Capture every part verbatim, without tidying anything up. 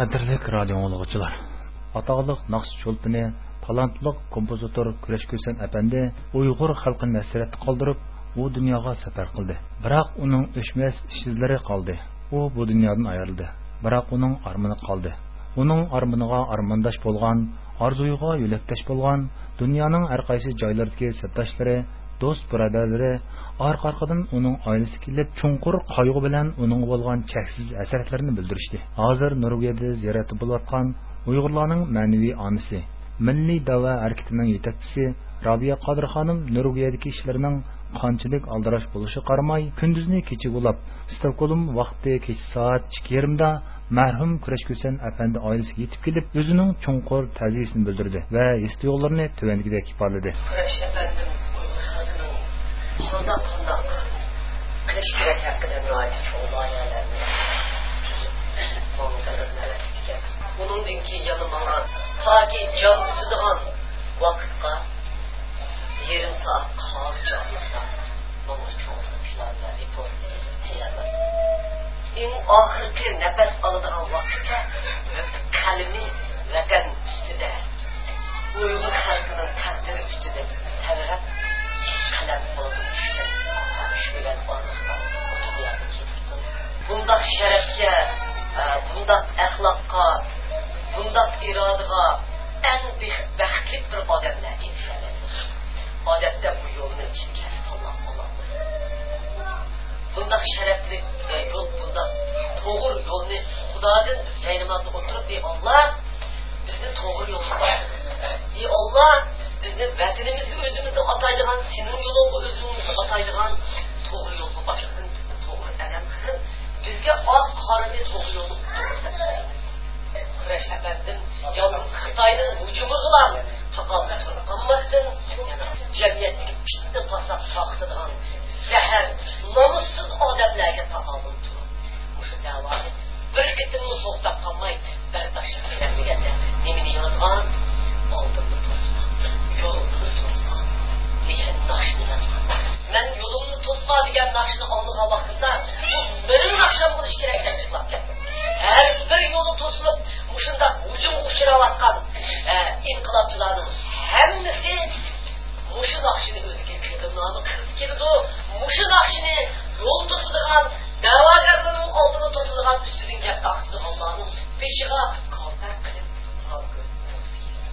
قەدىرلىك رادىئو ئاڭلىغۇچىلار، ئاتاقلىق ناخشا چولپىنى، تالانتلىق كومپوزىتور كۈرەش كۈسەن ئەپەندى ئۇيغۇر خەلقىنى ھەسرەتتە قالدۇرۇپ، ئۇ دۇنياغا سەپەر قىلدى. بىراق ئۇنىڭ ئۆچمەس ئىش-ئىزلىرى قالدى. ئۇ بۇ دۇنيادىن ئايرىلدى. بىراق ئۇنىڭ ئارمىنى قالدى. ئۇنىڭ ئارمىنىغا ئارمانداش بولغان، ئارزۇيىغا يۆلەكداش بولغان، دۇنيانىڭ ھەر قايسى جايلىرىدىكى سەپداشلىرى، دوست-بۇرادەرلىرى ئارقا-ئارقىدىن ئۇنىڭ ئائىلىسىگە كېلىپ، چوڭقۇر قايغۇ بىلەن ئۇنىڭغا بولغان چەكسىز ھەسرەتلىرىنى بىلدۈرۈشتى. ھازىر نورۋېگىيەدە زىيارەتتە بولۇۋاتقان ئۇيغۇرلارنىڭ مەنىۋى ئانىسى، مىللىي دەۋا ھەرىكىتىنىڭ يېتەكچىسى رابىيە قادىر خانىم نورۋېگىيەدىكى ئىشلىرىنىڭ قانچىلىك ئالدىراش بولۇشىغا قارىماي، كۈندۈزنى كېچىگە ئۇلاپ، ستوكھولم ۋاقتى كېچە سائەت ئىككى يېرىمدا مەرھۇم كۈرەش كۈسەن ئەپەندى ئائىلىسىگە يېتىپ كېلىپ، ئۆزىنىڭ چوڭقۇر تەزىيىسىنى بىلدۈردى ۋە ھېس-تۇيغۇلىرىنى تۆۋەندىكىدەك ئىپادىلىدى. كۈرەش ئەپەندىم ئۇيغۇر خەلقىنىڭ قانداق، قانداق قىلىش كېرەك ھەققىدە ناھايىتى چوڭ لايىھەلەرنى تۈزۈپ، ماڭغانلىرىنى ئەۋەتىپتىكەن. ئۇنىڭدىن كېيىن يەنە ماڭا تاكى جان ئۈزىدىغان ۋاقىتقا يېرىم سائەت قالغۇچە ئارىلىقتا ماڭا چوڭ پىلان ۋە رېپورت تەييارلاپ، ئەڭ ئاخىرقى نەپەس ئالىدىغان ۋاقىتقىچە قەلىمى ۋەتەن ئۈستىدە، ئۇيغۇر خەلقىنىڭ تەقدىرى ئۈستىدە تەۋرەپ، قەلەم قولىدىن چۈشكەن كۈچ بىلەن ئارىلىقتا بۇ دۇنيادىن كېتىپتۇ. بۇنداق شەرەپكە، ئە، بۇنداق ئەخلاققا، بۇنداق ئىرادىغا ئەڭ بېخ-، بەختلىك بىر ئادەملەر ئېرىشەلەيدۇ. ئادەتتە بۇ يولنى كىم كەسىپ تاللاپ بولالمايدۇ. بۇنداق شەرەپلىك، ئە، يول، بۇنداق توغرا يولنى خۇدادىن بىز جاينامازدا ئولتۇرۇپ، ئى ئاللا، بىزنى توغرا يولغا باشلىغىن. ئى ئاللا، بىزنى ۋەتىنىمىزگە ئۆزىمىزنى ئاتايدىغان، سېنىڭ يولۇڭغا ئۆزىمىزنى ئاتايدىغان توغرا يولغا باشلىغىن، بىزنى توغرا ئەلەم قىلغىن. بىزگە ئاق قارىنى توغرا يولغا كۈرەش ئەپەندىم يالغۇز خىتاينىڭ ھۇجۇمىغىلا تاقابىل تۇرۇپ قالماستىن، جەمئىيەتتىكى پىتنە-پاسات تارقىتىدىغان زەھەر، نامۇسسىز ئادەملەرگە تاقابىل تۇرۇپ، مۇشۇ دەۋانى بىر قېتىممۇ توختاپ قالماي بەرداشلىق بىلەن دېگەندە نېمىنى يازغان؟ ئالدىمنى توسما، يولۇمنى توسما دېگەن ناخشىنى يازغان. مەن يولۇمنى توسما دېگەن ناخشىنى ئاڭلىغان ۋاقتىمدا، بۇ مېنىڭ ناخشام بولۇشى كېرەك دەپ يىغلاپ كەتتىم. ھەر بىر يولى توسۇلۇپ، مۇشۇنداق ھۇجۇمغا ئۇچراۋاتقان، ئە، ئىنقىلابچىلارنىڭ ھەممىسى مۇشۇ ناخشىنى ئۆزىگە قېرىندامى قىلغۇسى كېلىدۇ. مۇشۇ ناخشىنى يول توسىدىغان، دەۋاگەرلەرنىڭ ئالدىنى توسىدىغان، ئۈستىدىن گەپ تارقىتىدىغانلارنىڭ بېشىغا كالتەك قىلىپ قارا كۆز قويغۇسى كېلىدۇ.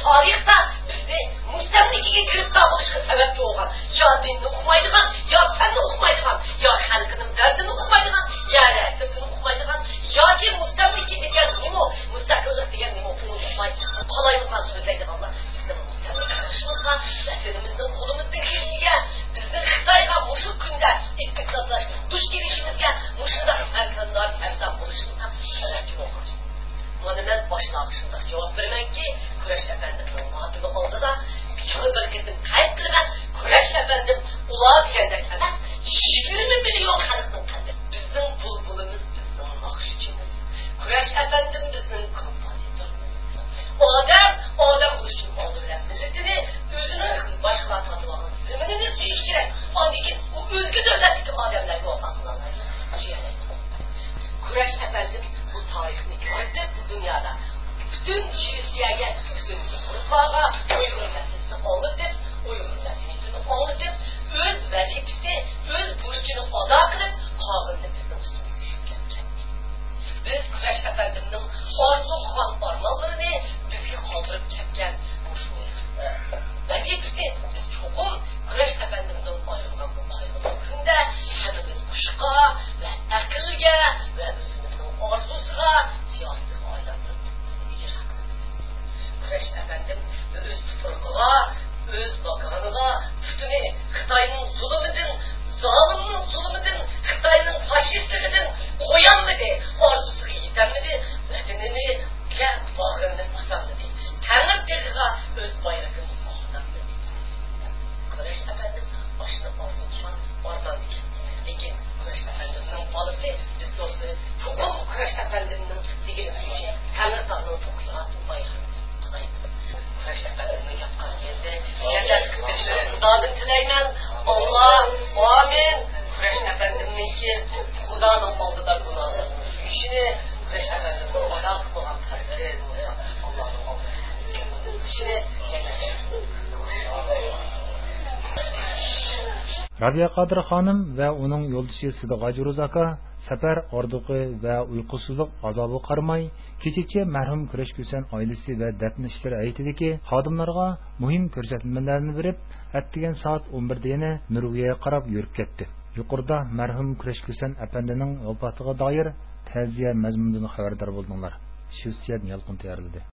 تارىختا بىزنى مۇستەملىكىگە گىرىپتار بولۇشقا سەۋەبچى بولغان يا دىننى ئۇقمايدىغان، يا پەننى ئۇقمايدىغان، يا خەلقىنىڭ دەردىنى ئۇقمايدىغان، يەر ھەقىقىتىنى ئۇقمايدىغان، ياكى مۇستەملىكە دېگەن نېمە، مۇستەقىللىق دېگەن نېمە، ئۇنى ئۇقماي قالايمىقان سۆزلەيدىغانلار بىزنىڭ مۇستەملىكە قىلىشىمىزغا، ۋەتىنىمىزنىڭ قولىمىزدىن كېلىشىگە، بىزنىڭ خىتايغا مۇشۇ كۈندە ئىتتىك سازلاش دۇچ كېلىشىمىزگە، مۇشۇنداق ھەركاندار سەرسان بولۇشىمىزغا سەۋەبچى بولغان. مانا مەن باشلارغا شۇنداق جاۋاب بېرىمەنكى، كۈرەش ئەپەندىمنىڭ ماتىمى ئالدىدا يەنە بىر قېتىم قەيت قىلىمەن، كۈرەش ئەپەندىم ئۇلار دېگەندەك ئەمەس، يىگىرمە مىليون خەلقنىڭ قەلبى. بىزنىڭ بۇلبۇلىمىز، بىزنىڭ ناخشىچىمىز. كۈرەش ئەپەندىم بىزنىڭ كومپوزىتورىمىز. ئادەم ئادەم بولۇش ئۈچۈن ئالدى بىلەن مىللىتىنى، ئۆزىنىڭ باشقىلار تارتىۋالغان زېمىنىنى سۆيۈشى كېرەك. ئاندىن كېيىن ئۇ ئۆزگە دۆلەتتىكى ئادەملەرگە ۋاپا قىلالايدۇ، سۆيەلەيدۇ. كۈرەش ئەپەندىم بۇ تارىخنى يارىتىپ، بۇ دۇنيادا پۈتۈن شىۋېتسىيەگە، پۈتۈن ياۋروپاغا ئۇيغۇر مەسىلىسىنى ئاڭلىتىپ، ئۇيغۇر مەدەنىيىتىنى ئاڭلىتىپ، ئۆز ۋەزىپىسىنى، ئۆز بۇرچىنى ئادا قىلىپ، قالغىنىنى بىزنىڭ ئۈستىمىزگە يۈكلەپ كەتتى. بىز كۈرەش ئەپەندىمنىڭ ئارزۇ قىلغان ئارمانلىرىنى بىزگە قالدۇرۇپ كەتكەن مۇشۇ ۋەزىپىسىنى بىز چوقۇم كۈرەش ئەپەندىمدىن ئايرىلغان بۇ قايغۇلۇق كۈندە ھەممىمىز ھوشقا ۋە ئەقىلگە ۋە ئۆزىمىزنىڭ ئارزۇسىغا، سىياسىتىگە ئايلاندۇرۇپ ئىجرا قىلىمىز. كۈرەش ئەپەندىم ئۆز تۇپرىقىغا، ئۆز ماكانىغا، پۇتىنى خىتاينىڭ زۇلۇمىدىن، زالىمنىڭ زۇلۇمىدىن، خىتاينىڭ فاشىستلىقىدىن قويالمىدى، ئارزۇسىغا يېتەلمىدى. رابىيە قادىر خانىم ۋە ئۇنىڭ يولدىشى سىدىغاجى روزى ئاكا سەپەر ئاغرىقى ۋە ئۇيقۇسىزلىق ئازابىغا قارىماي، كېچىچە مەرھۇم كۈرەش كۈسەن ئائىلىسى ۋە دەپنە ئىشلىرى ھەيئىتىدىكى خادىملارغا مۇھىم كۆرسەتمىلەرنى بېرىپ، ئەتىگەن سائەت ئون بىردە يەنە نورۋېگىيەگە قاراپ يۈرۈپ كەتتى. يۇقىرىدا مەرھۇم كۈرەش كۈسەن ئەپەندىنىڭ ۋاپاتىغا دائىر تەزىيە مەزمۇنىدىن خەۋەردار بولدۇڭلار. شىۋېتسىيەدىن يالقۇن تەييارلىدى.